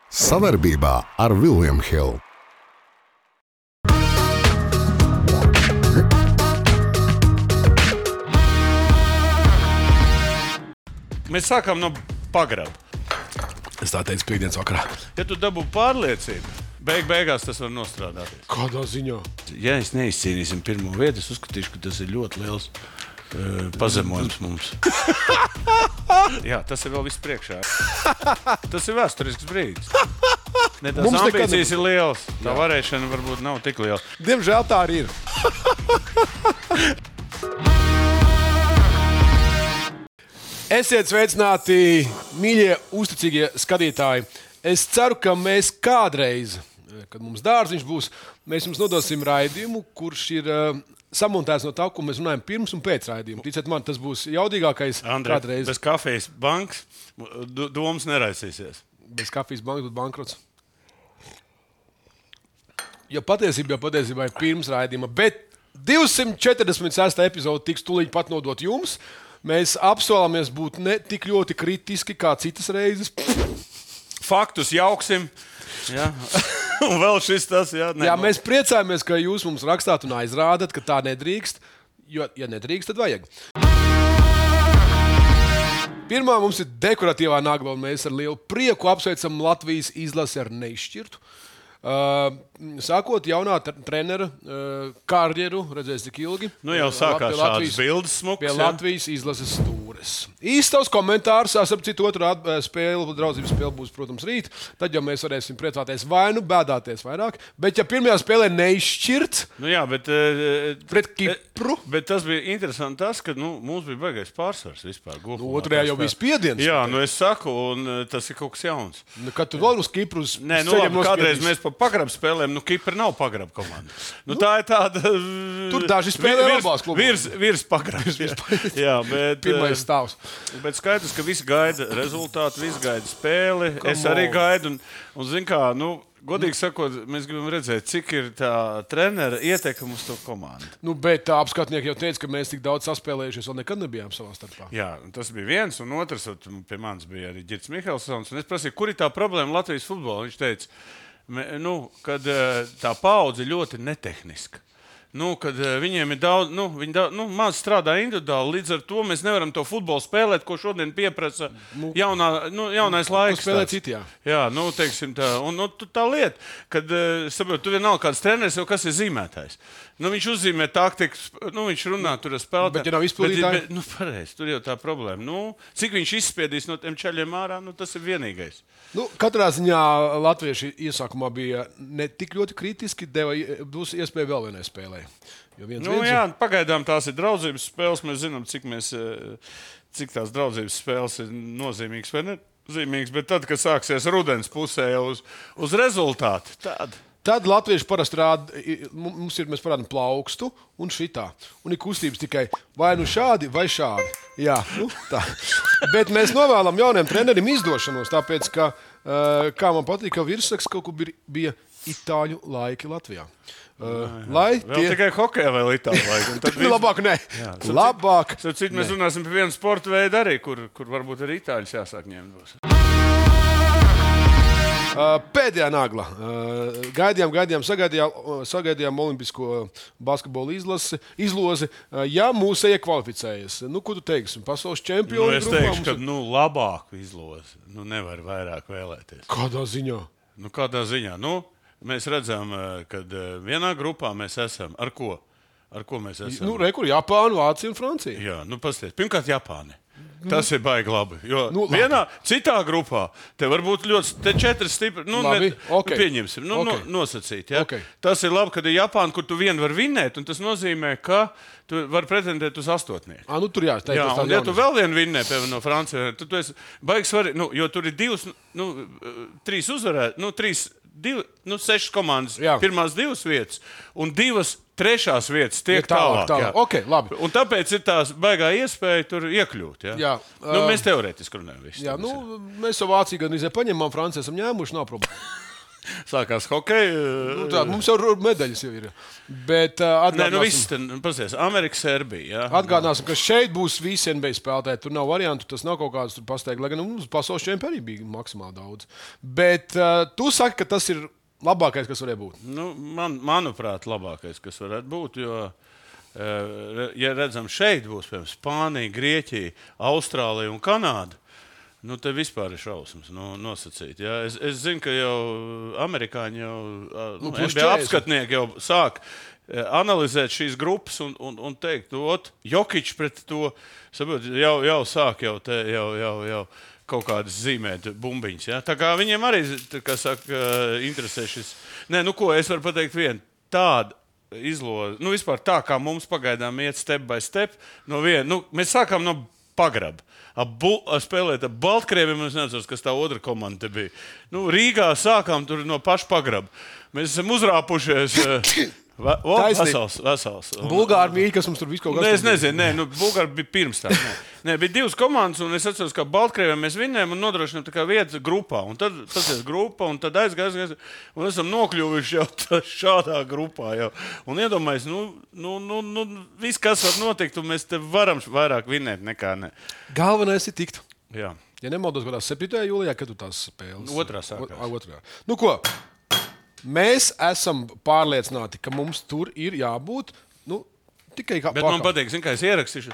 Savarbībā ar William Hill. Mēs sākām no pagraba. Es tā teicu piekdienas vakarā. Ja tu dabū pārliecību, beigās tas var nostrādāties. Kādā ziņā? Ja es neizcīnīsim pirmo vietu, es uzskatīšu, ka tas ir ļoti liels pazemojums mums. Jā, tas ir vēl viss priekšā. Tas ir vēsturisks brīdis. Ne, tās Mums ambīcijas ir lielas. Tā varēšana varbūt nav tik liela. Diemžēl tā arī ir. Esiet sveicināti, mīļie, uzticīgie skatītāji. Es ceru, ka mēs kādreiz, kad mums dārziņš būs, mēs jums nodosim raidījumu, kurš ir samontēts no tā, ko mēs runājam pirms un pēc raidījuma. Ticiet man, tas būs jaudīgākais kādreiz. Bez kafijas bankas domas neraisīsies. Bez kafijas bankas būtu bankrots. Jo patiesībā ir pirms raidījuma, bet 246. epizode tiks tūlīt pat nodot jums. Mēs apsolāmies būt ne tik ļoti kritiski kā citas reizes. Faktus jauksim. Jā. Un vēl šis tas, jā. Jā, mēs priecājamies, ka jūs mums rakstāt un aizrādat, ka tā nedrīkst. Jo, ja nedrīkst, tad vajag. Pirmā mums ir dekoratīvā nagla, un mēs ar lielu prieku apsveicam Latvijas izlasi ar neizšķirtu. Sākot jaunā trenera karjeru, redzēs, cik ilgi. Nu jau sākās šādas bildes smukas. Pie Latvijas izlases stūres. Īstais komentārs, ap citu otru spēli, draudzības spēle būs, protams, rīt. Tad jau mēs varēsim priecāties vai nu bēdāties vairāk. Bet ja pirmajā spēlē neizšķirts, nu jā, bet, pret Kipru. Bet tas bija interesanti tas, ka mums bija baigais pārsvars vispār. Nu, otrajā jau bija spiediens. Jā, nu es saku, un tas ir kaut kas jauns. Nu, kad tu vēl uz Kipru nē, nu labi, kādreiz mēs pa pagrabu spēlēm, nu Kipra nav pagrabu komanda. Nu tā ir tāda... Tur daži spēlē labās klubos. Virs pagrabs. Jā, bet... Pirmais stāvs. Bet skaidrs, ka visi gaida rezultātu, visi gaida spēli. Es arī gaidu, un zin kā, nu, godīgi sakot, mēs gribam redzēt, cik ir tā trenera ietekme uz to komandu. Nu, bet apskatnieki jau teica, ka mēs tik daudz saspēlējušies, vēl nekad nebijām savā starpā. Jā, tas bija viens, un otrs, pie manis bija arī Girts Mihelsons, un es prasīju, kur ir tā problēma Latvijas futbolā? Viņš teica, kad tā paudze ļoti netehniska. Kad viņiem ir daudz, maz strādā individuāli, līdz ar to mēs nevaram to futbolu spēlēt, ko šodien pieprasa jaunais laiks. Spēlēt citi, jā. Jā, teiksim tā. Un tā lieta, kad, saprot, tu vienalga kāds treneris, jau kas ir zīmētājs. Viņš uzzīmē taktikas, viņš runā tur ar spēlētājiem. Bet ja nav izpildītāji? Pareizi, tur jau tā problēma. Cik viņš izspiedīs no tiem čaļiem ārā, tas ir vienīgais. Katrā ziņā latvieši iesākumā bija ne tik ļoti kritiski, būs iespēja vēl vienai spēlē. Jā, pagaidām tās ir draudzības spēles, mēs zinām, cik tās draudzības spēles ir nozīmīgas vai nezīmīgas, bet tad, kad sāksies rudens pusē uz rezultātu, Tad latvieši parasti rāda, mēs parādām plaukstu un šitā. Un ir kustības tikai vai nu šādi, vai šādi. Jā, tā. Bet mēs novēlam jauniem trenerim izdošanos, tāpēc, ka, kā man patīk, ka virsraksts kaut kur bija itāļu laiki Latvijā. Vēl tikai hokejā vēl itāļu laiki. Labāk ne. Labāk. Cik mēs runāsim par vienu sporta veidu arī, kur varbūt arī itāļus jāsāk ņemt būs. Pēdējā nagla. Gaidījām, sagaidījām olimpisko basketbolu izlozi. Ja mūs iekvalificējas, ko tu teiksi? Pasaules čempioni? Es teikšu, ka labāku izlozi. Nevar vairāk vēlēties. Kādā ziņā? Kādā ziņā? Mēs redzam, ka vienā grupā mēs esam. Ar ko? Ar ko mēs esam? Rekur Japāna, Vācija un Francija. Jā, pasties. Pirmkārt, Japāna. Tas ir baigi labi. Jo vienā citā grupā te var būt ļoti četri stipri. Pieņemsim, nosacīt. Ja? Okay. Tas ir labi, kad ir Japāna, kur tu vienu var vinnēt, un tas nozīmē, ka tu vari pretendēt uz astotnieku. Tur jā, un ja tu vēl vienu vinnē, piemēram, no Francijā, tad tu esi baigi svarīgi, jo tur ir trīs uzvarēt, sešas komandas, pirmās divas vietas, un divas trešās vietas tiek tālāk. Okay, labi. Un tāpēc ir tās baigā iespēja tur iekļūt. Ja? Jā, mēs teorētiski runājam. Mēs jau Vāciju gan paņemam, Franciju esam ņēmuši, nav problēma. Sākās hokeja. Tā, mums jau medaļas jau ir. Bet Pasies, Amerika, Serbija. Atgādināsim, ka šeit būs visi NBA spēlētāji. Tur nav variantu, tas nav kaut kāds pasteigts. Lai gan mums pasaules čempioni arī bija maksimāli daudz. Bet tu saki, ka tas ir labākais, kas varēja būt. Manuprāt, labākais, kas varētu būt. Jo, ja redzam, šeit būs piemēram Spānija, Grieķija, Austrālija un Kanāda. Te vispār ir šausmas nosacīt. Ja? Es zinu, ka jau amerikāņi, NBA apskatnieki jau sāk analizēt šīs grupas un teikt, Jokičs pret to jau sāk jau kaut kādas zīmēt bumbiņas. Ja? Tā kā viņiem arī, kā saka, interesē šis. Es varu pateikt vienu tādu izlozi. Vispār tā, kā mums pagaidām iet step by step, mēs sākām no pagraba. Spēlēt ar Baltkrieviem, es nezinu, kas tā otra komanda bija. Rīgā sākām tur no paša pagraba. Mēs esam uzrāpušies. Vesels. Bulgāri bija, kas mums tur visu kaut kas. Es nezinu, Bulgāri bija pirms tā. Bija divas komandas, un es atceros, ka Baltkrieviem mēs vinnējām un nodrošinām tā kā vietas grupā. Un tad pasies grupa, un tad aizgājas, un esam nokļuvuši jau šādā grupā. Jau. Un iedomājies, viss, kas var notikt, un mēs te varam vairāk vinnēt nekā ne. Galvenais ir tikt. Jā. Ja nemaldos, gadās 7. jūlijā, kad tu tās spēles. Otrā sākās. Otrā. Ko? Mēs esam pārliecināti, ka mums tur ir jābūt tikai kā Bet man patīk, kā es ierakstīšu,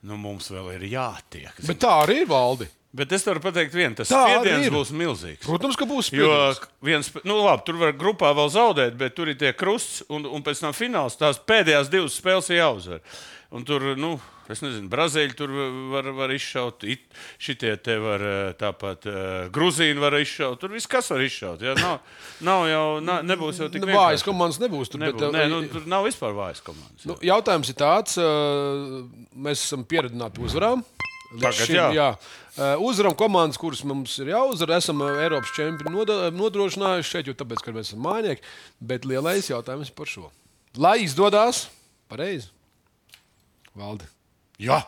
mums vēl ir jātiek. Bet tā arī ir, Valdi. Bet es varu pateikt vienu, tas spiediens būs milzīgs. Protams, ka būs spiediens. Tur var grupā vēl zaudēt, bet tur ir tie krusts un pēc tam fināls. Tās pēdējās divas spēles ir jāuzvar. Un tur, es nezinu, Brazīļi tur var izšaut, šitie te var tāpat Gruzīni var izšaut, tur viss kas var izšaut. Ja? Nebūs jau tik vienkārši. Vājas komandas nebūs tur. Tur nav vispār vājas komandas. Jautājums ir tāds, mēs esam pieredzināti uzvarām. Uzvaram komandas, kuras mums ir jāuzvar. Esam Eiropas čempioni nodrošinājuši šeit, jo tāpēc, ka mēs esam mājnieki. Bet lielais jautājums par šo. Lai izdodās pareizi. Valdi. Jā.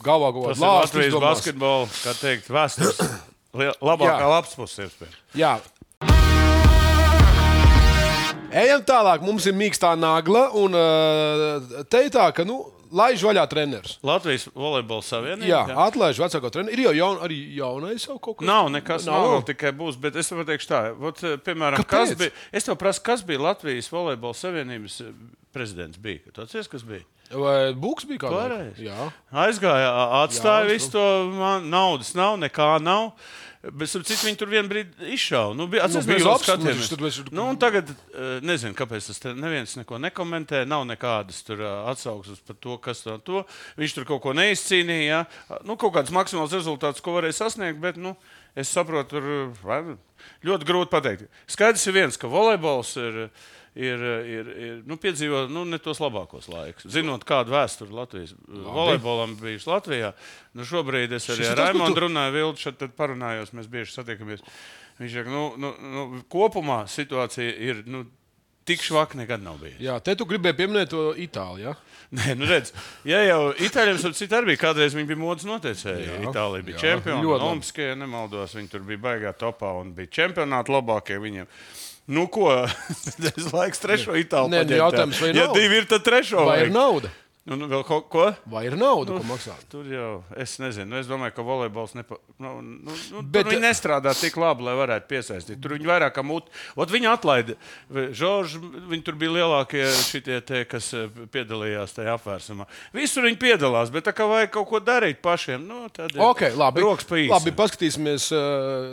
Galvā kaut kādā lāstā. Tas ir Latvijas basketbola, kā teikt, vēstures labākā labs puses. Jā. Ejam tālāk. Mums ir mīkstā nagla un teitā, ka, laiž vaļā treneris. Latvijas volejbola savienība. Jā, atlaiž vecāko treneri. Ir jau arī jaunais jau kaut kas. Nav nekas, nav tikai būs, bet es tev pateikšu tā. Piemēram, es tev prasu, kas bija Latvijas volejbola savienības prezidents bija? Tu atceries, kas bija? Vai Buks bija kādā? Jā. Aizgāja, atstāja visu to, naudas nav, nekā nav. Bet viņi tur vienā brīdī izšāva. Tagad nezinu, kāpēc tas neviens neko nekomentē. Nav nekādas atsauksmes par to, kas to. Viņš tur kaut ko neizcīnīja. Kaut kāds maksimāls rezultāts, ko varēja sasniegt, bet es saprotu, tur ļoti grūti pateikt. Skaidrs ir viens, ka volejbols ir piedzīvo ne tos labākos laikus. Zinot, kādu vēsturi Latvijas volejbolam bijuši Latvijā, šobrīd es arī ar Raimondu runāju, Vildu šeit parunājos, mēs bieži satiekamies. Viņš saka, kopumā situācija ir tik švaka nekad nav bijusi. Jā, te tu gribēji pieminēt to Itāliju, ja? Nē, redz, ja jau Itāļiem arī bija kādreiz, viņi bija modas noteicēji. Itālija bija čempioni, olimpiskie, ja nemaldos, viņi tur bija baigā topā un bija čempionāti labākie viņiem. Ko? Es laiks trešo Itāliju paņemt. Jautājums, vai ir nauda? Ja divi ir, tad trešo. Vai ir nauda? Vēl ko? Vai ir nauda, ko maksā? Tur jau, es nezinu. Es domāju, ka volejbols tur viņi nestrādā tik labi, lai varētu piesaistīt. Tur viņi vairāk kā muti. Viņi atlaida. Žorži, viņi tur bija lielākie šitie te, kas piedalījās tajā apvērsumā. Visur viņi piedalās, bet tā kā vajag kaut ko darīt pašiem, tad labi. Rokas pa īsi. Labi, paskatīsimies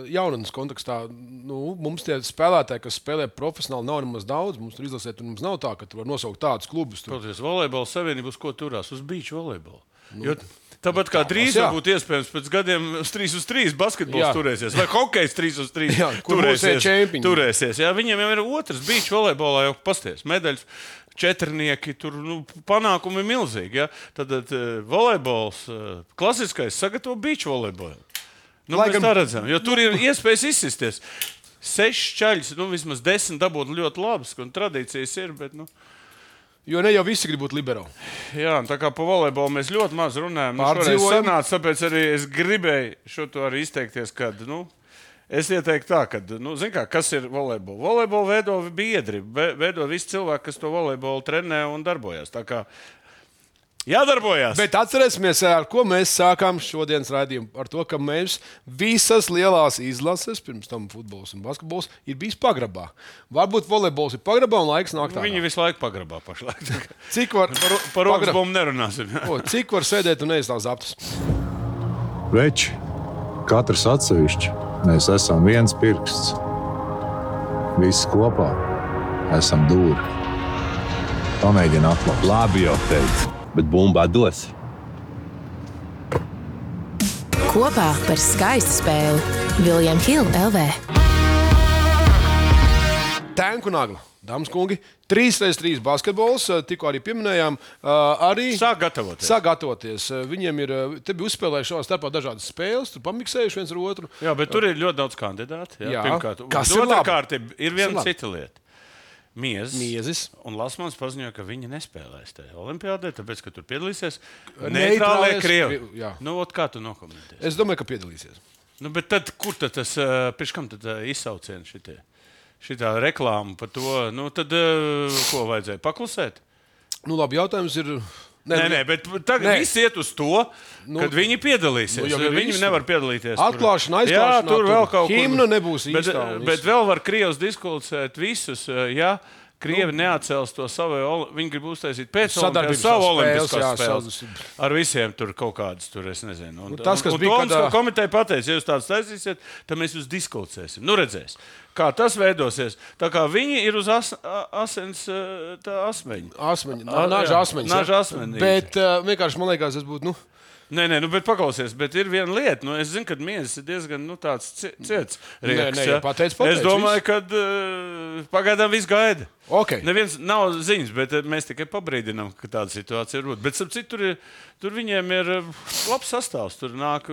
jaunatnes kontekstā. Mums tie spēlētāji, kas spēlē profesionāli, nav nemaz daudz. Mums tur izlasēt, un mums nav tā, ka tu var nosaukt tādus klubus. Protams, volejbola savienība ko turās uz beach volejbolu. Tāpat kā drīz būtu iespējams pēc gadiem 3-3 basketbols turēsies, vai hokejs 3-3 turēsies. Jā, viņiem jau ir otrs beach volejbolā jau pasties. Medaļas, četrnieki, tur panākumi ir milzīgi. Ja? Tad volejbols, klasiskais, sagatavo beach volejbolu. Mēs tā redzam, jo tur ir iespējas izsisties. 6 čaļas, vismaz 10 dabūt ļoti labas, un tradīcijas ir, bet Jo ne jau visi grib būt liberāli. Jā, tā kā pa volejbolu mēs ļoti maz runājam. Šoreiz sanāca, tāpēc arī es gribēju šo to arī izteikties, kad, Es ieteiktu tā, ka, kas ir volejbols? Volejbolu veido biedri, veido visi cilvēki, kas to volejbolu trenē un darbojas. Tā kā jādarbojās. Bet atcerēsimies, ar ko mēs sākām šodienas raidījumu. Ar to, ka mēs visas lielās izlases, pirms tam futbols un basketbols, ir bijis pagrabā. Varbūt volejbols ir pagrabā un laiks nāk tā. Viņi visu laiku pagrabā pašlaik. Cik var Par rokas nerunāsim. Cik var sēdēt un ēst tās aptas? Veči, katrs atsevišķi, mēs esam viens pirksts. Visi kopā esam dūri. Pamēģini atklāt. Labi jau teicu, bet bumba dos. Kopā par skaistu spēli William Hill LV. Tenku nagla. Dāmas kungi, 3x3 basketbols, tikko arī pieminējām. Sāk gatavoties. Viņiem ir, te bija uzspēlējuši savā starpā dažādas spēles, tur pamiksējuši viens ar otru. Jā, bet tur ir ļoti daudz kandidātu. Jā. Pirmkārt, Kas ir labi? Otrkārt ir viena cita lieta. Miezis. Un Lasmans paziņoja, ka viņi nespēlēs tajā olimpiādē, tāpēc, ka tur piedalīsies Neitrālie Krievi. Jā. Kā tu nokomentēsi? Es domāju, ka piedalīsies. Bet tad, kur tad tas, pirms kam tad izsaucieni šitie? Šitā reklāma par to, tad ko vajadzēja paklusēt? Labi, jautājums ir... Nē, bet tagad viss iet uz to, kad viņi piedalīsies. Viņi nevar piedalīties. Atklāšana, aizklāšana. Jā, tur vēl kaut kur. Himna nebūs īstā. Bet vēl var Krievs diskutēt visus, ja Krievi neatcels to savu, viņi grib uztaisīt pēc olimpiādas savu olimpiskās spēles. Ar visiem tur kaut kādas, es nezinu. Tas, kas bija, kad komiteja pateica, ja jūs tāds taisīsiet, tad mēs jūs diskutēsim. Redzēs, kā tas veidosies. Tā kā viņi ir uz asins asmeņa. Naža asmeņa. Bet vienkārši, man liekas, tas būtu, Nē, bet paklausies, bet ir viena lieta. Es zinu, ka miezis ir diezgan tāds ciets rieks. Pateic, es domāju, ka pagaidām viss gaida. Okay. Neviens nav ziņas, bet mēs tikai pabrīdinām, ka tāda situācija ir. Bet tur viņiem ir labs sastāvs. Tur nāk,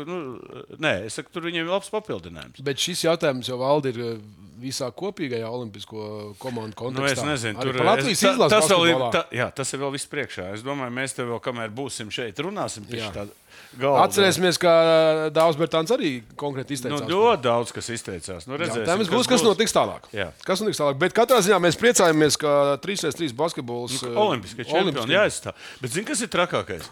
es saku, tur viņiem ir labs papildinājums. Bet šis jautājums jau valda ir visā kopīgajā olimpisko komandu kontekstā. Es nezinu, tur Latvijas izlases basketbolā. Tas ir vēl viss priekšā. Es domāju, mēs te vēl, kamēr būsim šeit, runāsim pie tā. Atcerēsimies, ka Dāvs Bertāns arī konkrēti izteicās. Ļoti daudz, kas izteicās. Jautājums būs, kas notiks tālāk. Kas notiks tālāk. Bet katrā ziņā mēs priecājamies, ka 3x3 basketbols olimpiskie čempioni jāizstāv. Bet zini, kas ir trakākais?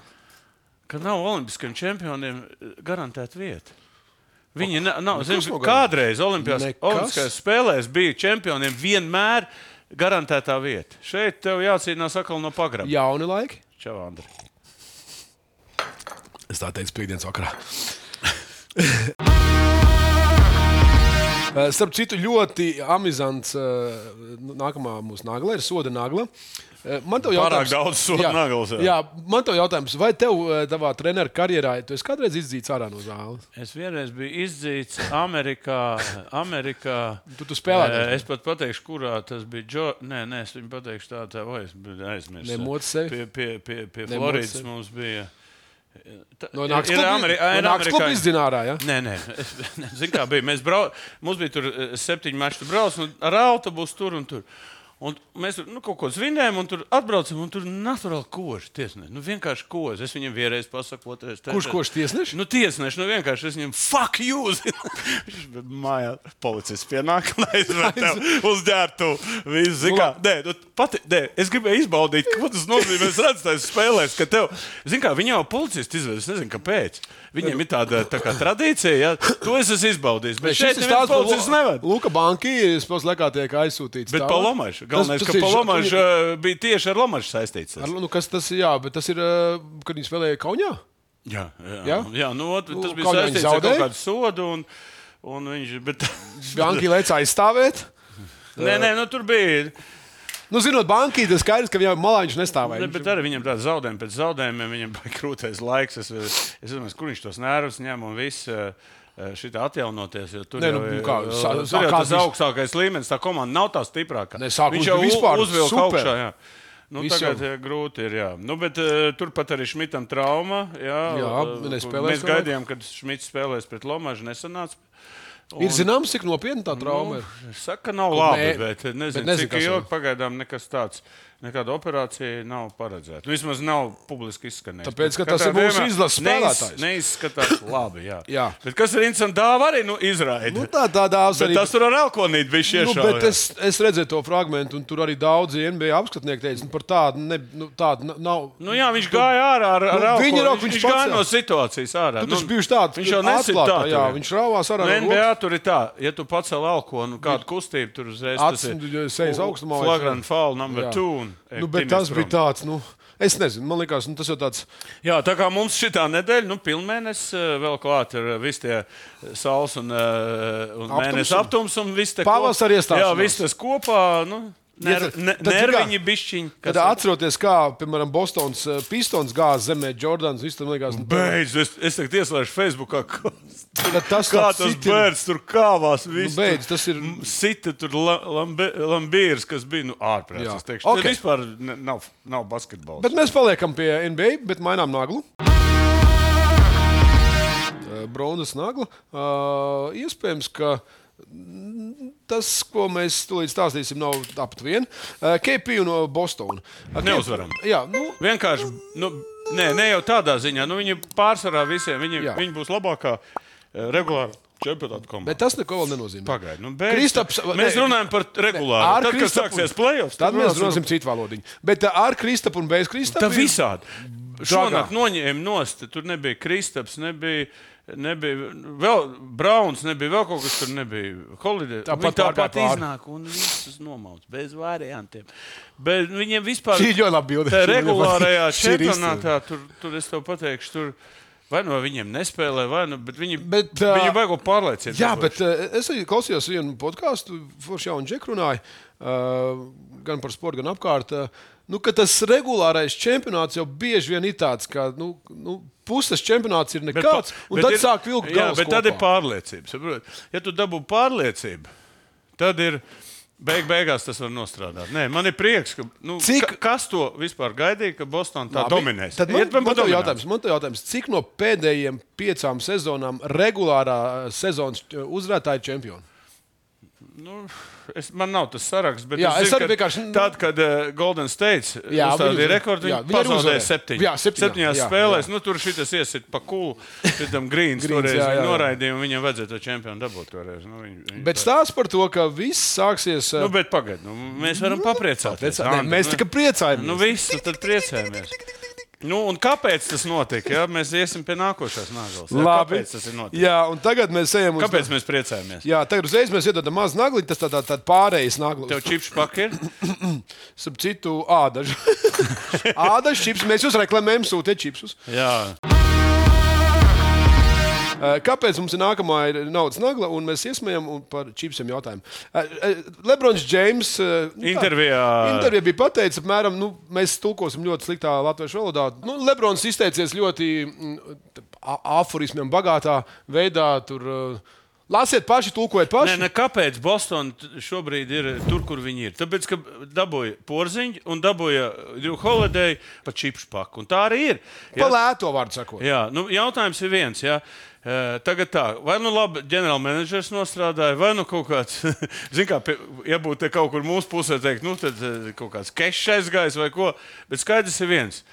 Ka nav olimpiskiem čempioniem garantēta vieta. Viņi nav, kādreiz olimpiskajās spēlēs bija čempioniem vienmēr garantētā vieta. Šeit tev jācīnās atkal no pagraba. Jauni laiki. Čau, Andri. Es tā teicu piekdienas vakarā. Starp citu, ļoti amizants nākamā mūsu nagla ir soda nagla. Pārāk daudz soda naglas. Jā, man tev jautājums, vai tev tavā treneru karjerā, tu esi kādreiz izdzīts ārā no zāles? Es vienreiz biju izdzīts Amerikā. Tu spēlēji? Es pat pateikšu, kurā tas bija. Nē, es viņu pateikšu tā, vai es biju aizmirsis. Nemoc sevi? Pie Floridas mums bija. No Nāks klubu izdzinārā, ja? Nē. Zini, kā bija. Mums bija tur 7 maču brauc ar autobusu tur un tur. Un mēs tur kaut ko svinējām, un tur atbraucam, un tur naturāli koži tiesneši. Vienkārši koži. Es viņam vienreiz pasaku, otrais. Kurš koži tiesneši? Tiesneši, vienkārši es viņam fuck you! Mājā policists pienāk, un aizved tev uz ģērtu. Es gribēju izbaudīt, ko tas nozīmē. Es redzu, tas spēlēs, ka tev, zini kā, viņi jau policisti izved, es nezinu, kāpēc. Viņiem ir tāda tā kā tradīcija, ja? To es esmu izbaudījis, bet šeit neviens policists neved. Luka Banki, spēc lekā tiek aizsūtīts. Bet pa Lomašu. Galvenais, ka pa Lomašu bija tieši ar Lomašu saistīts. Kas tas ir? Jā, bet tas ir, kad viņi spēlēja Kaunijā? Jā, tas bija saistīts ar kaut kādu sodu, un viņš... Banki lec aizstāvēt? Nē, tur bija... Zinot Banki, tas skaidrs, ka viņam malā viņš nestāvēja. Bet arī viņam tāda zaudējuma pēc zaudējumiem, viņam bija krūtais laiks. Es domāju, kur viņš tos nervus ņem un viss šitā atjaunoties. Tur jau tas augstākais līmenis, tā komanda nav tā stiprākā. Viņš jau uzvilka augšā. Jā. Tagad grūti ir. Jā. Bet turpat arī Šmitam trauma. Jā, mēs gaidījām, kad Šmits spēlēs pret Lomažu, nesanāca. Ir zināms, cik nopietna tā trauma ir? Saka, ka nav labi, bet nezinu, cik kas ilgi pagaidām nekas tāds. Nekāda operācija nav paredzēta. Vismaz nav publiski izskanējusi. Tāpēc, ka tas ir mūsu izlases spēlētājs. Neizskatās labi, jā. Jā. Bet kas ir interesanti, dāva arī izraida. Nu, tā dāvs arī. Bet tas tur ar elkonīti bija šiešā. Nu, bet es redzēju to fragmentu, un tur arī daudzi NBA apskatnieki teica, par tādu nav. Nu jā, viņš gāja ārā ar elkonīti. Viņš gāja no situācijas ārā. Tu taču bijuši tāds. Viņš jau nesit tā. Jā, viņš rāvās ārā. NBA tur ir tā, ja tu pacel elkonu, kādu kustību tur uzreiz, tas ir flagrant foul number 2. Nu, bet tas bija tāds, es nezinu, man liekas, tas jau tāds. Jā, tā kā mums šitā nedēļa, pilnmēnesis vēl klāt ir visi tie saules un mēnesis aptums un viss te pavasari iestāšanās. Jā, viss tas kopā, nerviņi bišķiņi. Tad atceroties, kā, piemēram, Bostons Pistons gāz zemē Jordans, viss tam liekas. Beidz, es tagad ieslēšu Facebookā, kā tas bērns tur kāvās, viss beidz, tas ir sita tur Lambīrs, kas bija, ārprāts, es teikšu. Okay. Vispār nav basketbols. Bet mēs paliekam pie NBA, bet mainām naglu. Bronzas nagla. Iespējams, ka tas, ko mēs tūlīt stāstīsim, nav apat vien. KP no Bostona. Neuzvaram. Jā, vienkārši, ne jau tādā ziņā. Viņi pārsvarā visiem, viņi būs labākā regulāra čempionāta komanda. Bet tas neko vēl nenozīmē. Pagaid, mēs runājam par regulāru. Tad, kad sāksies playoffs, tad mēs runāsim citu valodiņu. Bet ar Kristapu un bez Kristapa? Tā visādi. Šonakt noņēma nost, tur nebija Kristaps, nebija vēl Brauns, nebija vēl kaut kas tur nebija. Holiday. Tāpat iznāk un visus nomauc, bez variantiem. Bet viņiem vispār tā regulārajā čempionātā, tur es tev pateikšu, tur vai no viņiem nespēlē, vai no, bet viņi vajag pārliecību. Jā, bet es arī klausījos vienu podcastu, forši jaunu Džeku runāju, gan par sportu, gan apkārt, ka tas regulārais čempionāts jau bieži vien ir tāds, ka puses čempionāts ir nekāds, un tad sāk vilkt galvas kopā. Bet tad ir pārliecība. Ja tu dabū pārliecību, tad ir beigās tas var nostrādāt. Nē, man ir prieks, ka kas to vispār gaidīja, ka Boston tā dominēs. Tad man to jautājums, cik no pēdējiem 5 sezonām regulārā sezonas uzvarētāji čempioni? Man nav tas saraksts, bet es zinu, vienkārši tad, kad Golden State uzstādīja rekordu, viņi pazaudēja 7 spēlēs. Tur šitas iesit pa kulu, šitam Greens toreiz viņi noraidīja, un viņam vajadzēja to čempionu dabūt toreiz. Bet stāsts par to, ka viss sāksies... Bet pagaid, mēs varam papriecāties. Mēs tikai priecājamies. Visu, tad priecājamies. Un kāpēc tas notika? Ja? Mēs iesim pie nākošās naglas. Kāpēc tas ir noticis? Jā, un tagad mēs ejam uz... Kāpēc mēs priecājamies? Jā, tagad uzreiz mēs iedodam mazu nagli, tas tā pārējais nagli. Tev čips paki ir? Sap citu ādažu. Ādažu čips, mēs jūs reklamējam, sūtiet čipsus. Jā. Kāpēc mums ir nākamā naudas nagla, un mēs iesmējam par čipsiem jautājumu? Lebrons Džeims intervijā bija pateicis, apmēram, mēs tulkosim ļoti sliktā latviešu valodā. Lebrons izteicies ļoti aforismiem bagātā veidā, tur lasiet paši, tulkojiet paši. Kāpēc Boston šobrīd ir tur, kur viņi ir? Tāpēc, ka dabūja Porziņu un dabūja Drew Holiday pa čipšu paku, un tā arī ir. Pa lēto vārdu sakot. Jā, jautājums ir viens, jā. Tagad tā, vai labi ģenerālmenedžers nostrādāja, vai kaut kāds, ja būtu kaut kur mūsu pusē teikt, tad kaut kāds kešs aizgājis vai ko, bet skaidrs ir viens,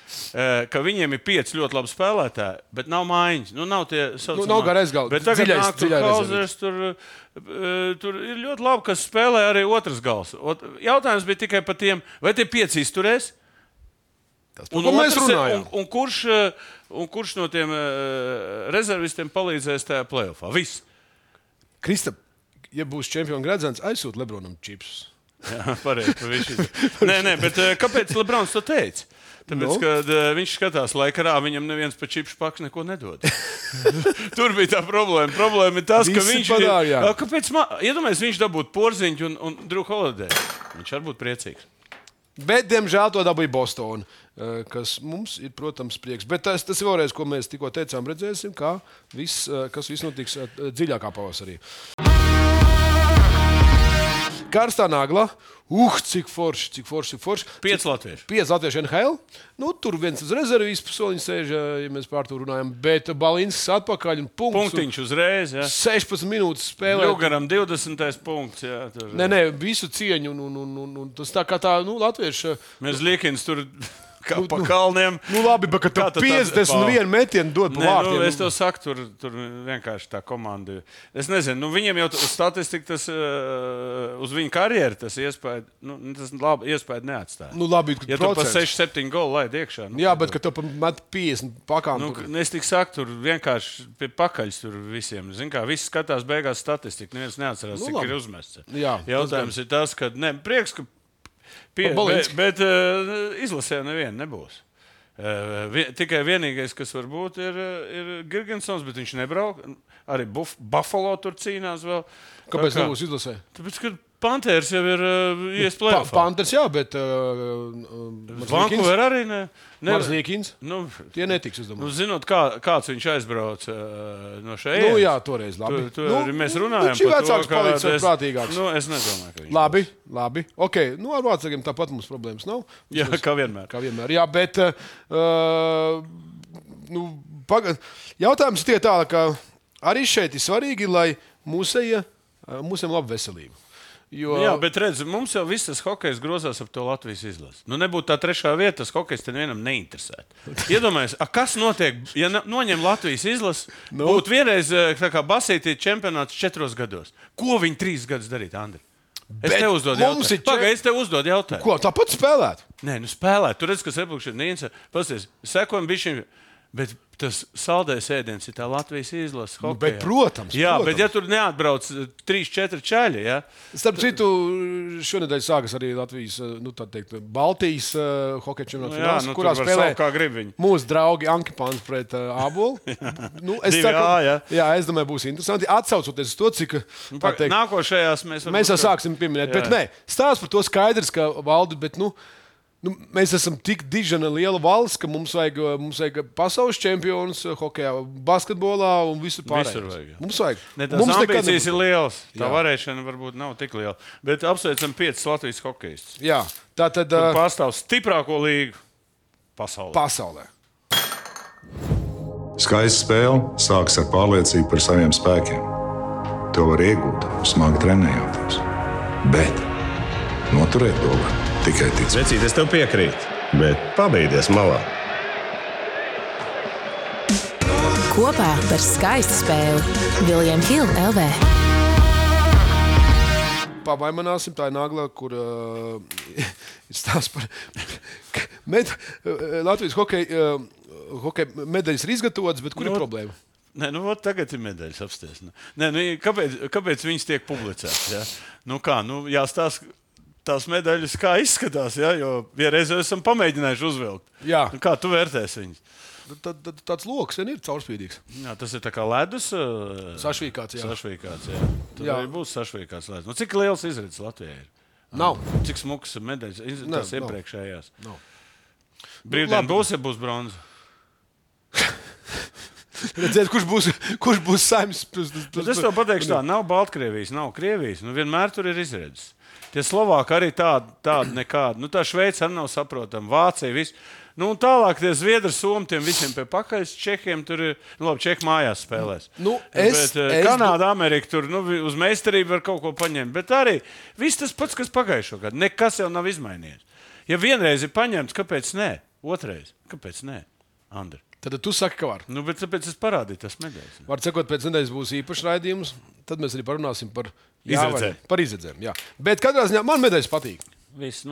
ka viņiem ir 5 ļoti labi spēlētāji, bet nav mājiņas, nav tie saucamā. Nav garais galds, bet tagad nāk tur Kauzers, tur ir ļoti labi, kas spēlē arī otrs gals. Jautājums bija tikai par tiem, vai tie 5 izturēs? Un kurš no tiem rezervistiem palīdzēs tajā playoffā? Viss. Kristap, ja būs čempionu gredzens, aizsūt Lebronam čipsus. Jā, pareizi. Nē, bet kāpēc Lebrons to teica? Tāpēc, kad viņš skatās laikarā, viņam neviens pa čipšu paks neko nedod. Tur bija tā problēma. Problēma ir tas, ka viņš kāpēc, iedomājies, viņš dabūtu Porziņu un Drew Holiday. Viņš var būt priecīgs. Bet, diemžēl, to dabūja Bostona, kas mums ir, protams, prieks. Bet tas ir vēlreiz, ko mēs tikko teicām, redzēsim, kas viss notiks dziļākā pavasarī. Karstā nagla. Cik forši. 5 latvieši. 5 latvieši NHL. Tur viens uz rezervīs soliņš sēž, ja mēs par to runājam. Bet Balinskis atpakaļ un Punktiņš uzreiz. Jā. 16 minūtes spēlē. Ļugaram 20. punkts. Jā, tur. Nē, visu cieņu. Un tas tā kā tā, latvieši. Mēs Liekins tur kā pa kalniem. Labi, bet kad tu 51 metienu dod pa vārtiem. Es tev saku, tur vienkārši tā komanda. Es nezinu, viņiem jau uz statistiku tas, uz viņu karjeru tas iespēja, tas labi iespēja neatstāja. Labi, ja tu pa 6-7 golu laid iekšā. Jā, bet kad tu met 50 pakām. Es tik saku, tur vienkārši pie pakaļs tur visiem. Zin kā, visi skatās beigās statistiku, neviens neatcerās, cik ir uzmests. Jā, jautājums ir tas, ka, prieks, ka bet izlasē neviena nebūs. Tikai vienīgais, kas var būt, ir Girgensons, bet viņš nebrauc. Arī Buffalo tur cīnās vēl. Kāpēc nebūs izlasē? Tāpēc, ka Panthers jau ir iespējams. Panthers, jā, bet Vancouver arī ne. Marzlīkins? Tie netiks, es domāju. Zinot, kāds viņš aizbrauc no šeit. Jā, toreiz labi. Arī mēs runājam par to, vecāks palicis vēl prātīgāks. Es nedomāju, ka viņš Labi. Ok, ar vācākiem tāpat mums problēmas nav. Jā, kā vienmēr. Jā, bet jautājums tie tā, ka arī šeit ir svarīgi, lai mūsiem laba veselība. Jā, bet redz, mums jau viss tas hokejs grozās ap to Latvijas izlasi. Nebūtu tā 3. vieta, tas hokejs te nevienam neinteresētu. Iedomājies, kas notiek, ja noņem Latvijas izlasi, būtu vienreiz tā kā basītī čempionāts 4 gados. Ko viņi 3 gadus darīt, Andri? Es tev uzdodu jautājumu. Pagaid, es tev uzdodu jautājumu. Ko, tāpat spēlēt? Nē, spēlēt. Tur redz, kas Republika Nīnce. Pasties, sekojam bišķiņ. Bet tas saldējs ēdiens ir tā Latvijas izlases hokejā. Bet, protams. Bet ja tur neatbrauc 3-4 čaļi, jā. Starp citu, šonedēļ sākas arī Latvijas, Baltijas hokeja čempionāta fināls, kurā spēlē mūsu draugi Ankipāns pret Ābolu. Es domāju, būs interesanti. Atsaucoties uz to, cik... Nākošajās mēs sāksim pieminēt. Bet nē, stāsts par to skaidrs, ka Valdi, bet mēs esam tik dižana liela valsts, ka mums vajag pasaules čempionus hokejā, basketbolā un visur pārējā. Mums vajag. Tās ambīcijas ir lielas. Tā varēšana varbūt nav tik liela. Bet apsveicam 5 Latvijas hokejistus. Jā, tātad... Pārstāv stiprāko līgu pasaulē. Skaista spēle sākas ar pārliecību par saviem spēkiem. To var iegūt, smagi trenējoties. Bet noturēt to var tikai ticēt. Vecīt, es tev piekrītu, bet pabeigties malā. Kopā par skaistu spēli William Hill LV. Pavaimināsim, tā ir nagla, kur ir stāsts par Latvijas hokeja medaļas ir izgatavotas, bet kur ir problēma? Nē, tagad ir medaļas apsties. Kāpēc viņas tiek publicētas? Ja? Jāstāsta tās medaļas, kā izskatās, ja? Jo vienreiz esam pamēģinājuši uzvilkt. Kā tu vērtēsi viņas? Tāds loks ir caurspīdīgs. Jā, tas ir tā kā ledus. Sašvīkāts, jā. Tad arī būs sašvīkāts ledus. Cik liels izredzes Latvijā ir? Nav. Cik smukas medaļas? Tas iepriekšējās. Brīvdien būs, ja būs bronza? Redzēt, kurš būs saimnes. Es tev pateikšu tā, nav Baltkrievijas, nav Krievijas. Vienmēr tur ir izredzes. Tie Slovāki arī tādi nekādi. Tā Šveice arī nav saprotama. Vācija, viss. Tālāk tie Zviedri, Somi, tiem visiem pie pakaļas. Čehiem tur ir, Čehi mājās spēlēs. Kanāda, Amerika tur uz meistarību var kaut ko paņemt. Bet arī viss tas pats, kas pagājušo gadu. Nekas jau nav izmainījies. Ja vienreiz ir paņemts, kāpēc nē? Otrais, kāpēc nē? Andri. Tad tu saki, ka var. Bet tāpēc es parādīju tas medaļas. Var sakot, pēc nedēļas būs īpašs raidījums. Tad mēs arī parunāsim par izredzēm. Jā. Bet katrā ziņā man medaļas patīk. Viss,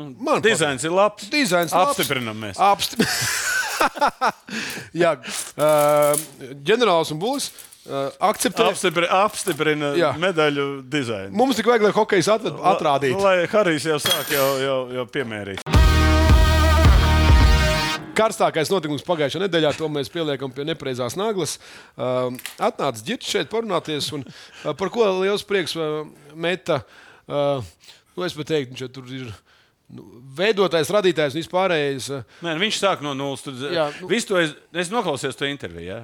dizains ir labs. Apstiprinam mēs. Jā, ģenerālis un Bulis akceptē. Apstiprina medaļu dizainu. Mums tik vajag, lai hokejs atrādītu. Lai Harijs jau sāk jau piemērīt. Karstākais notikums pagājušajā nedēļā, to mēs pieliekam pie nepareizās naglas. Atnāca Ģirts šeit parunāties, un par ko liels prieks meta. Es pat teiktu, viņš tur ir veidotājs, radītājs un vispārējais. Nē, viņš sāk no nulles. Es noklausījos to interviju,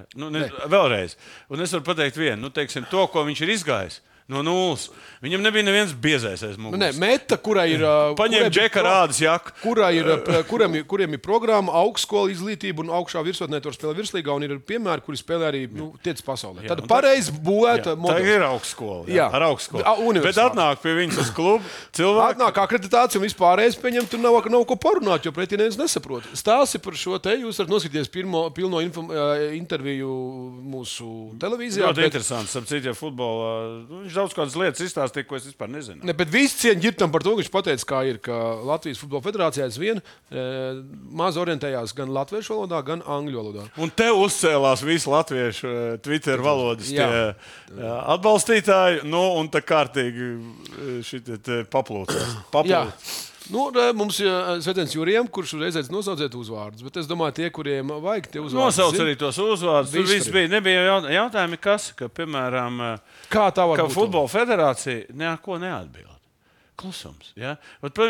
vēlreiz. Un es varu pateikt vienu, to, ko viņš ir izgājis. No nulles. Viņam nebija neviens biezais aiz muguras. Nē, Meta, kurai ir. Paņēma Džeka Rādas jaku. Kuriem ir programma, augstskola izglītība un augšā virsotnē tur spēlē virslīgā un ir piemēri, kuri spēlē arī tiec pasaulē. Tad pareizi būvēta modelis. Tā ir augstskola. Jā, ar augstskolu. Bet atnāk pie viņas uz klubu cilvēki. Atnāk akreditācija un vispārējais pieņem, tur nav ko parunāt, jo pretī neviens nesaprot. Stāsti par šo te, jūs varat noskatīties pilno interviju mūsu televīzijā. Ļoti interesants, apcīt, ja futbolā. Viņš daudz kādas lietas izstāstīja, ko es vispār nezinu. Ne, bet visi cieņi ģirtam par to, ka viņš pateica, kā ir, ka Latvijas futbola federācijā aizvien maz orientējās gan latviešu valodā, gan angļu valodā. Un te uzcēlās visi latviešu Twitter valodas atbalstītāji, un tā kārtīgi šitie paplūcās. Nu, mums ir Svetens Jurijam, kurš uzreiz nosauciet uzvārdus, bet es domāju, tie, kuriem vajag tie uzvārdus. Nosauc arī tos uzvārdus. Tur viss bija. Nebija jautājumi, ka piemēram, ka futbola federācija neko neatbild. Klusums. Ja?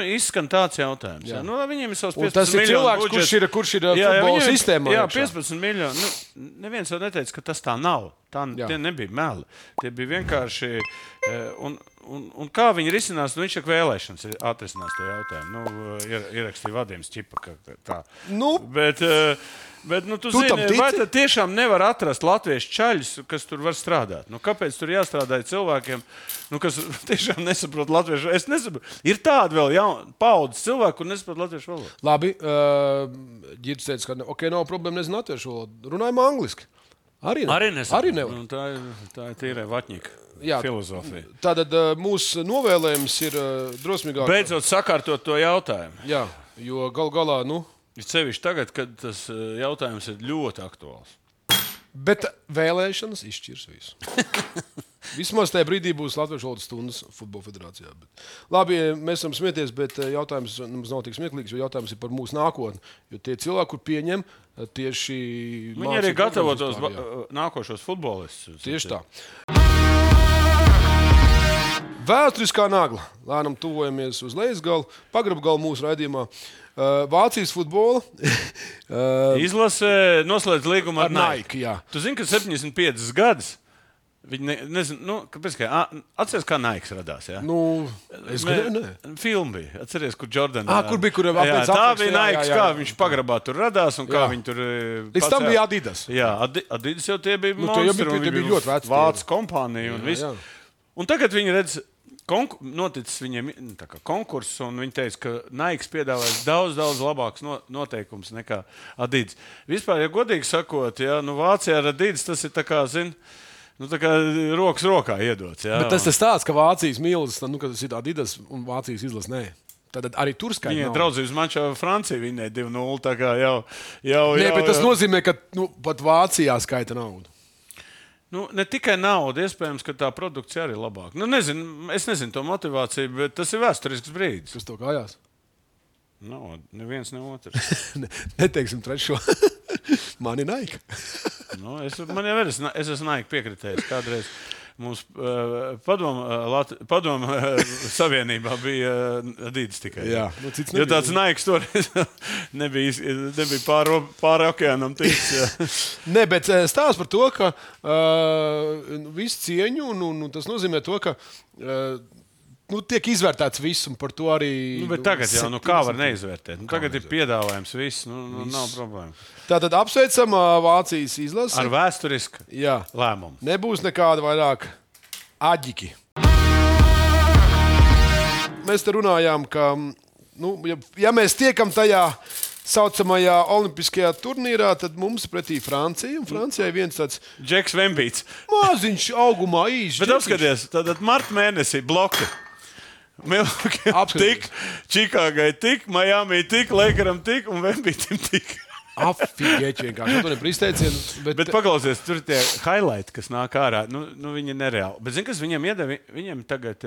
Izskan tāds jautājums. Ja? Nu, viņiem ir savs 15 miljonu budžets. Kurš ir futbola sistēmā. Jā, 15 miljoni. Nu, neviens jau neteica, ka tas tā nav. Tie nebija meli. Tie bija vienkārši... Un kā viņi risinās, viņš ir vēlēšanas, atrisinās to jautājumu. Ierakstīja Vadims Čipa, ka tā. Bet tu zini, vai tad tiešām nevar atrast latviešu čaļus, kas tur var strādāt? Kāpēc tur jāstrādā cilvēkiem, kas tiešām nesaprot latviešu? Es nesaprotu. Ir tādi vēl paudzes cilvēki, kur nesaprot latviešu valodu. Labi, Ģirds teica, ka nav problēma nezinu latviešu valodu. Runājam angliski. Arī nevar. Tā ir tīrai vatņika. Filozofija. Tātad mūsu novēlējums ir drosmīgāk. Beidzot sakārtot to jautājumu. Jā, jo galā, Ir sevišķi tagad, kad tas jautājums ir ļoti aktuāls. Bet vēlēšanas izšķirs visu. Vismaz tajā brīdī būs Latviešu valodas stundas futbola federācijā. Labi, mēs varam smieties, bet jautājums mums nav tik smieklīgs, jo jautājums ir par mūsu nākotni. Jo tie cilvēki, kur pieņem tieši... Viņi arī gatavo tos nākošos futbolistus. Tieši tā. Vēsturiskā nagla. Lēnām tuvojamies uz lejasgalu, pagrabgalu mūsu raidījumā. Vācijas futbola. Izlase noslēdz līgumu ar Nike. Jā. Tu zini, ka 75 gadus viņi nezinu, kāpēc, atceries, kā Nike radās, jā? Es gribēju, Filma bija. Atceries, kur Jordan... kur bija, kur tā bija Nike, kā viņš pagrabā tur radās un kā viņi tur... Līdz tam bija Adidas. Jā, Adidas jau tie bija monstri un viņi bija ļoti vācu kompānija un viss. Un tagad viņi redz... Noticis viņiem konkurss, un viņi teica, ka Nike piedāvājas daudz labākus noteikumus nekā Adidas. Vispār, ja godīgi sakot, Vācijā ar Adidas tas ir tā kā, tā kā rokas rokā iedots. Jā. Bet tas ir tāds, ka Vācijas mīlas, ka tas ir Adidas un Vācijas izlas nē. Tad arī tur skaitā. Viņai draudzības mačā Francija vinnēja 2-0, tā kā jau... Nē, bet tas nozīmē, ka pat Vācijā skaita naudu. Ne tikai nauda, iespējams, ka tā produkcija arī ir labāka. Es nezinu to motivāciju, bet tas ir vēsturisks brīdis. Kas to kājās? Neviens, ne otrs. Neteiksim trešo. Man ir Nike. Es esmu Nike piekritējis kādreiz. Mums padomu savienībā bija Adidas tikai. Jā, jo tāds Nike toreiz nebija pāri okeānam tiks. Nē, bet stāsts par to, ka visu cieņu, un tas nozīmē to, ka tiek izvērtēts viss, un par to arī... Bet tagad jau, kā var neizvērtēt? Tagad ir piedāvājums viss, nav problēma. Tātad apsveicam Vācijas izlasi. Ar vēsturisku lēmumu. Nebūs nekāda vairāk aģiki. Mēs te runājām, ka, ja mēs tiekam tajā saucamajā olimpiskajā turnīrā, tad mums pretī Francija, un Francijai viens tāds... Džeks Vembīts. Maziņš augumā īši. Bet apskaties, tātad marta mēnesī bloki. Tik, Čikāgai tik, Miami tik, Lakeram tik un Vembītim tik. Afigēķi vienkārši. To nevar izteicienu. Bet paklausies, tur tie highlighti, kas nāk ārā, viņi ir nereāli. Bet zini, kas viņiem iedeva? Viņiem tagad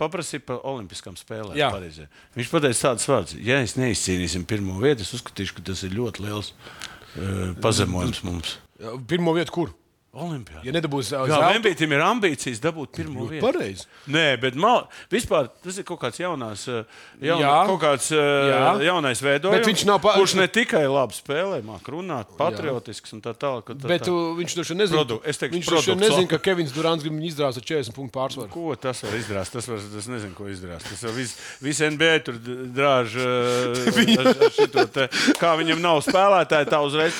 paprasīja par olimpiskām spēlēm Parīzē. Viņš pateica tādas vārdas. Ja es neizcīnīsim pirmo vietu, es uzskatīšu, ka tas ir ļoti liels pazemojums mums. Pirmo vietu kur? Olimpiāda. Ja nedabūs Vembītim ir ambīcijas dabūt pirmo vietu. Pareizi. Nē, bet vispār tas ir kaut kāds jaunais veidojums, Bet viņš nav kurš ne tikai labi spēlē, māk runāt, patriotisks un tā tālāk. Bet viņš droši vien nezina, ka Kevins Durants grib viņu izdrāst ar 40 punktu pārsvaru. Ko tas var izdrāst? Tas nezinu, ko izdrāst. Tas jau viss NBA tur drāž šito te. Kā viņam nav spēlētāji, tā uzreiz.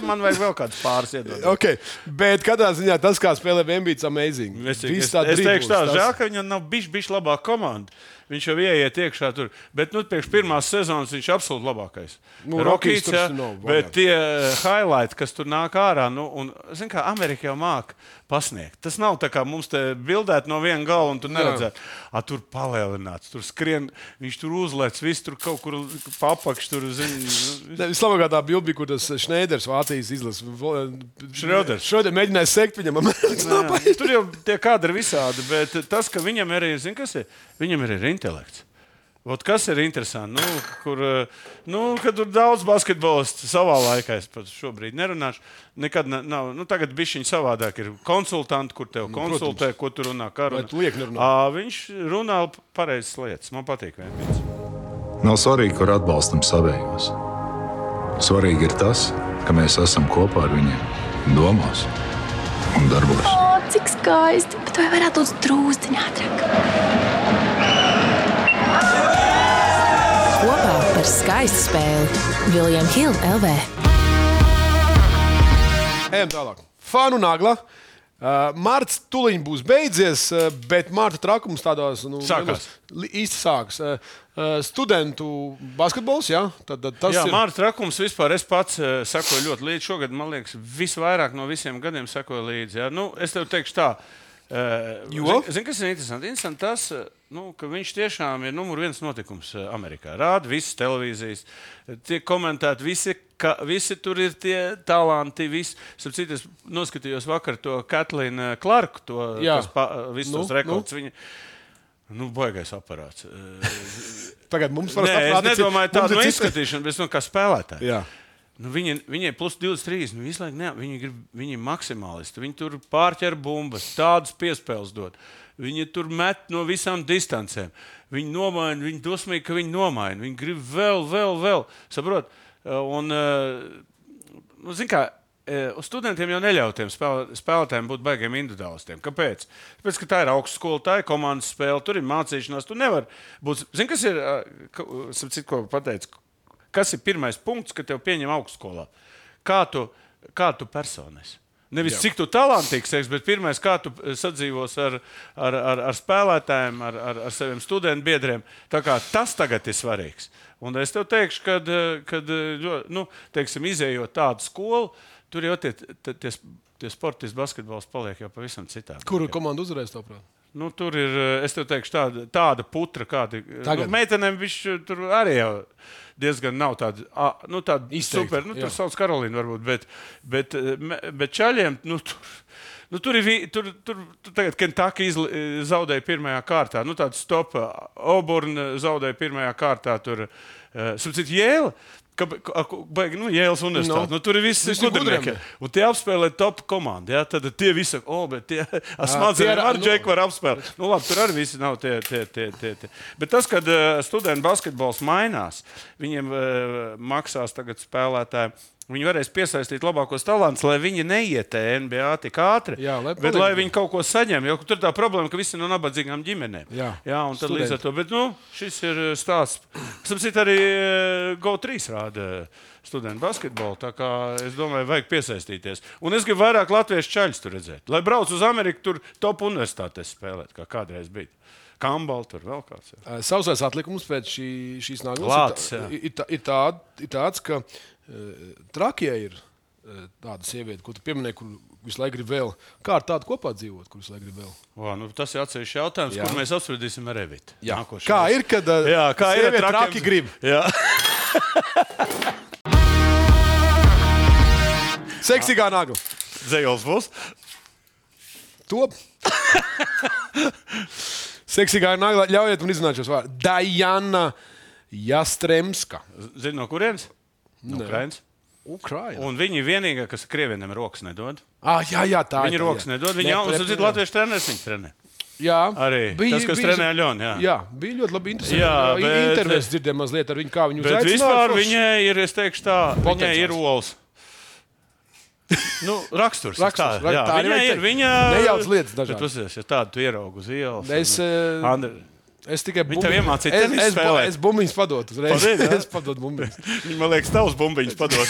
Man vajag vēl kāds pāris iedot. Okay. Bet katrā ziņā tas, kā spēlē Vembīts, amazing. Es teikšu tā, žēl, ka viņam nav bišķi labāka komanda. Viņš jau ieiet iekšā tur. Bet priekš pirmās sezonas viņš ir absolūti labākais. Rockies tur bet tie highlighti, kas tur nāk ārā, un, zin kā, Amerika jau māk pasniegt. Tas nav tā kā mums te bildēt no viena gala un tu neredzēt. Tur palielināts, tur skrien, viņš tur uzlec, viss tur kaut kur papakš, tur, zin. Vislabākā tā bildi bija, kur tas Šneiders Vācijas izlas. Šröders mēģināja sekt viņam. Tur jau tie kadri visādi, bet tas, ka viņam arī, zin kas ir? Viņam ir intelekts. Kas ir interesanti? Kad tur daudz basketbolistu savā laikā, es pat šobrīd nerunāšu, nekad nav. Tagad bišķiņ savādāk ir konsultanti, kur tev konsultē, ko tu runā. Viņš runā pareizas lietas. Man patīk Vembīts. Nav svarīgi, kur atbalstam savējos. Svarīgi ir tas, ka mēs esam kopā ar viņiem domās un darbos. Cik skaisti, bet vai varētu būt drūzdiņā ātrāk? Kopā par skaistu spēli William Hill LV. Ejam tālāk. Fanu nagla. Marts tuliņ būs beidzies, bet Marta trakums tādās īsti sāks. Studentu basketbols, jā? Marta trakums vispār es pats sekoju ļoti līdzi. Šogad, man liekas, visvairāk no visiem gadiem sekoju līdzi. Jā? Es tev teikšu tā. Zini, kas ir interesanti? Interesanti tas, ka viņš tiešām ir numur 1 notikums Amerikā. Rāda visas televīzijas, tiek komentēti, visi tur ir tie talanti. Citu, es noskatījos vakar to Katlīnu Clarku, visus tos rekordus. Viņa baigais aparāts. Tagad mums var saprast. Es nedomāju tādu izskatīšanu, bet kā spēlētāji. Jā. Viņai plus 23, visu laiku viņi ir maksimālisti. Viņi tur pārķer bumbas, tādas piespēles dod. Viņi tur met no visām distancēm. Viņi nomaina, viņi dosmīgi, ka viņi nomaina. Viņi grib vēl. Saprot? Un, zin kā, studentiem jau neļautiem spēlētājiem būt baigiem individuālistiem. Kāpēc? Tāpēc, ka tā ir augstskola, tā ir komandas spēle, tur ir mācīšanās. Tu nevar būt. Zin, kas ir, ko pateicu? Kas ir pirmais punkts, kad tev pieņem augstskolā? Kā tu personēsi? Nevis cik tu talantīgs esi, bet pirmais, kā tu sadzīvos ar spēlētājiem, ar saviem studentu biedriem. Tā kā tas tagad ir svarīgs. Un es tev teikšu, kad izējot tādu skolu, tur jau tie sportisti basketbols paliek jau pavisam citādi. Kuru komandu uzvarēs, tavuprāt? Tur ir, es tev teikšu, tāda putra, kāda. Meitenēm viņš tur arī jau diezgan nav tāda super. Tur sauc Karolīna varbūt, bet čaļiem, tur tagad Kentucky zaudēja pirmajā kārtā. Tāda stopa. Auburn zaudēja pirmajā kārtā. Tur, Jēla. Jēlas universitāte. Tur ir visi gudrinieki. Un tie apspēlē top komandu. Ja? Tad tie visi saka, bet tie smadzenēm ar Džeku var apspēlēt. Labi, tur arī visi nav tie. Bet tas, kad studentu basketbols mainās, viņiem maksās tagad spēlētāji. Viņi varēs piesaistīt labākos talantus, lai viņi neiet NBA tik ātri, bet lai viņi kaut ko saņem. Jo tur tā problēma, ka visi no nabadzīgām ģimenēm. Jā, un tad līdz ar to. Bet šis ir stāsts. Sapcīt, arī GO3 rāda studentu basketbolu. Tā kā es domāju, vajag piesaistīties. Un es gribu vairāk latviešu čaļus tur redzēt. Lai brauc uz Ameriku, tur top universitātēs spēlēt, kā kādreiz bija. Kambal, tur vēl kāds. Sausais atlikums pēc šīs nākotnes ir tāds, ka Trakijā ir tāda sieviete, ko tu pieminēji, kur visu laiku grib vēl. Kā ar tādu kopā dzīvot, kur visu laiku grib vēl? Tas ir atsevišķs jautājums, kur mēs apspriedīsim ar Evitu. Kā ir, kad sieviete traki grib? Jā. Seksīgā nagla. Zejols būs? Top. Seksīgā nagla. Ļaujiet man izrunāt šos vārdus. Dajana Jastremska. Zini, no kurienes? No Ukrainas. Un viņi vienīgā, kas krievieniem rokas nedod. Jā, tā Viņa rokas nedod. Viņa jau latviešu treneris viņu trenē. Jā, Arī tas, kas trenē Aļonu. Jā, bija ļoti labi interesanti. Jā, bet intervijas dzirdēju mazliet ar viņu, kā viņu bet uzaicināja. vispār viņai ir, es teikšu tā, viņai Potenciāls. ir olas. Raksturs. Raksturs, Jā, tā viņai arī ir. Viņa nejauc lietas dažādas. Bet pasies, ja tādu tu ieraugu uz ielas. Es tikai Viņa tev iemācīja tenis spēlēt. Es bumbiņas padotu uzreiz. Padod, jā? Es padotu bumbiņas. Viņa, man liekas, tavs bumbiņas padod.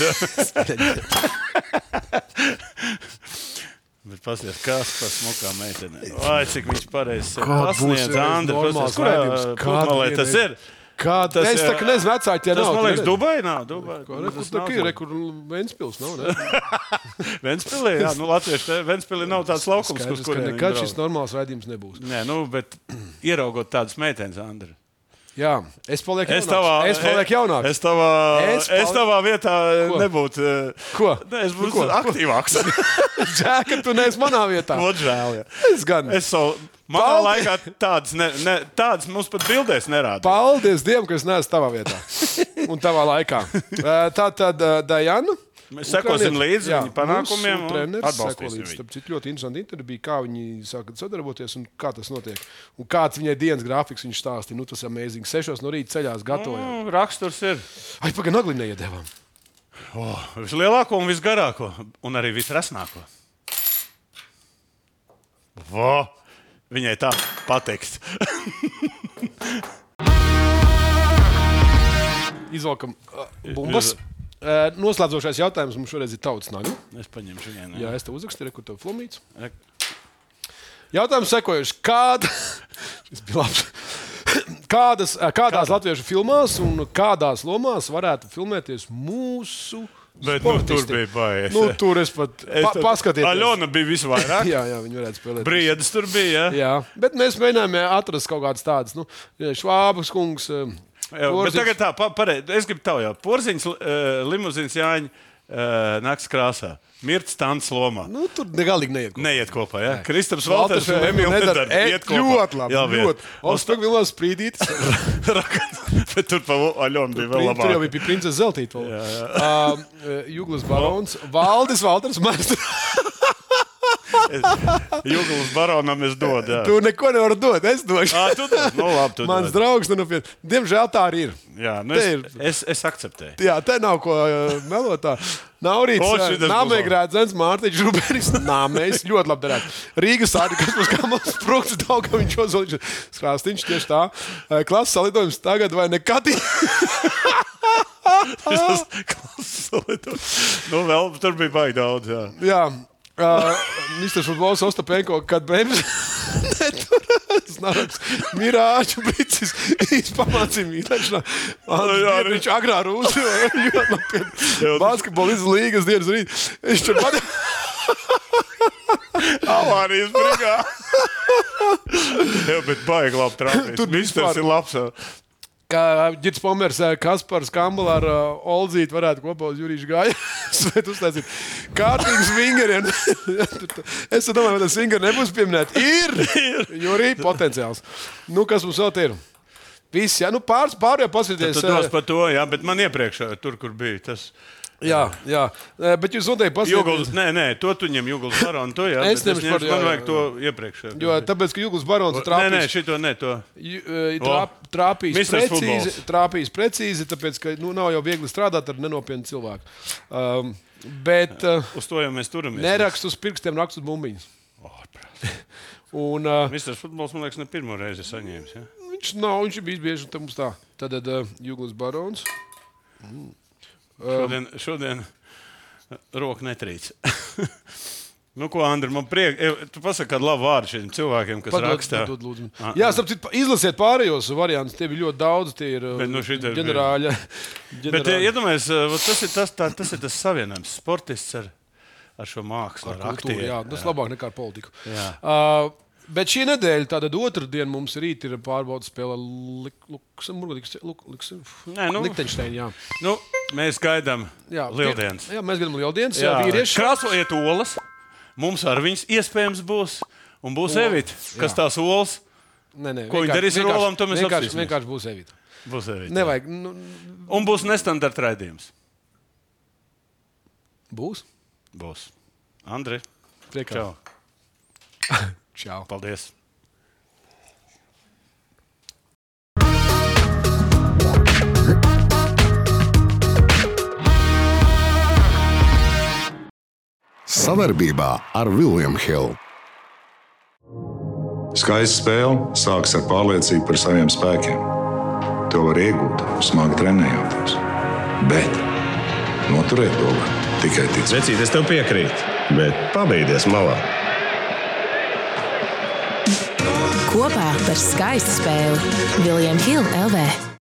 Bet pasies, kas par smukām meitenēm. Vai, cik viņš pareizi pasniedz. Andri, pasies, kurā pludmalē tas ir? Es tā kā nezinu, vecāki, ja Tas, nav. man liekas, Dubai nav. Dubai. Kur Ventspils nav, ne? Ventspilī, jā, latvieši, Ventspilī nav tāds laukums, Skaidrs, uz ka kuriem nekad šis normāls raidījums nebūs. Nē, bet ieraugot tādas meitenes, Andri. Jā, es palieku jaunāks. Es tavā vietā nebūtu. Ko? Es būtu aktīvāks. Žēl, ka tu neesi manā vietā. Ot žēl, jā. Es gan. Manā laikā tādas mums pat bildēs nerāda. Paldies Dievam, ka es neesmu tavā vietā un tavā laikā. Tātad Dajana. Mēs sekosim līdzi viņu panākumiem un atbalstīsim viņu. Tāpēc ļoti interesanti intervija bija, kā viņi sāka sadarboties un kā tas notiek. Un kāds viņai dienas grafiks viņš stāstīja. Tas ir amazing. 6 no rīta ceļās gatavojām. Raksturs ir. Pagaid, nagli neiedēvām. Vislielāko un visgarāko. Un arī visresnāko. Viņai tā pateiks. Izvalkam bumbas. Noslēdzošais jautājums mums šoreiz ir tautas nagla. Es paņemšu vienu. Jā, es te uzrakstīju, kur tev flumīts. Jautājums sekojuši. Kādās latviešu filmās un kādās lomās varētu filmēties mūsu Bet sportisti? tur bija baigi. Tur es pat paskatījos. Aļona bija visvairāk. jā, viņi varētu spēlēt. Briedis tur bija. Jā, bet mēs mēģinājām atrast kaut kādas tādas. Švābas kungs. Bet tagad tā, es gribu tev jau. Porziņš, limuzīns Jāņa nakts krāsā. Mirts Tants lomā. Tur negalīgi neiet kopā. Neiet kopā, jā. Kristaps Valters un Emīls Nedara iet kopā. Ļoti labi, ļoti. Ostag vēl sprīdītis. Bet tur pa Aļonu bija vēl labāk. Tur jau bija princese Zeltīta. Juglas barons. Valdis Valters Maestro. Juglas baronam es dodu. Tu neko nevar dot, es došu. Tu dod. Labi, tu Mans draugs, diemžēl tā arī ir. Jā, es akceptēju. Jā, te nav ko melotā. Naurīts, Nāmēgrēdzens, Mārtiņš Žuberis, Nāmējs, ļoti labi darētu. Rīgas sādi, kas mums kā mums sprukts, Daugaviņš Ozoliņš, Skrāstiņš, tieši tā. Klases salidojums tagad vai nekad? Klases salidojums. Vēl tur bija baigi daudz, jā. Jā. Mr. Futbols Ostapenko, kad bremzes neturās, Mirāču Bricis izpamācīja mīlēšanā. Viņš agrā rūsi, basketbola līgas dienas rīt. Viņš tur avārijas brigā. Jā, bet baigi labi trāpīs. Tur Misters ir labs. Kā Girts Pomers, Kaspars Kambala ar Olzīti varētu kopā uz Jurīšu gāju. Svēt uztaisīt kārtīgas vingeriem. Es domāju, vai tas vingeri nebūs pieminēt. Ir! Jurī, potenciāls. Kas mums vēl ir? Viss, jā. Pārējā pasvieties. Tu dos par to, jā, bet man iepriekš tur, kur bija tas... Jā, bet jūs noteikti pasvieties. Nē, to tu ņem Juglas baronu, to jā. Es ņemšu par, man vajag to iepriekš. Jo, tāpēc, ka Juglas barons trāpīs... Nē, šito ne, to. Trāpīs precīzi, tāpēc, ka nav jau viegli strādāt ar nenopietnu cilvēku. Bet... Uz to jau mēs turamies. Nerakst uz pirkstiem, rakst uz bumbiņas. Misters Futbols, man liekas, ne pirmo reizi saņēmis, ja? Viņš ir bijis bieži, un mums tā. Tad Juglas barons... Šodien roka netrīc. Ko, Andri, man priek... Tu pasaki kādu labu vārdu šiem cilvēkiem, kas rakstā. Jā, izlasiet pārējos variantus. Tie bija ļoti daudz. Tie ir ģenerāļi. Bet iedomājies, tas ir tas savienojums. Sportists ar šo mākslu, ar aktieru. Jā, tas labāk nekā ar politiku. Bet šī nedēļa, tātad otrdiena mums rīt ir pārbaudas spēle Lichtensteina, jā. Mēs gaidām lieldienas. Jā, mēs gaidām lieldienas. Krāsojiet olas. Mums ar viņas iespējams būs. Un būs Evita, kas tās olas. Ko viņi darīs ar olām, to mēs apsīsimies. Vienkārši būs Evita. Būs Evita. Nevajag. Un būs nestandarta raidījums. Būs? Būs. Andri. Priekā. Čau. Čau. Paldies. Savarbībā ar William Hill. Skaista spēle sākas ar pārliecību par saviem spēkiem. To var iegūt, smagi trenējoties. Bet noturēt to var tikai ticēt. Vecīt, es tev piekrītu, bet pabeigties malā. Kopā par skaistu spēli William Hill LV.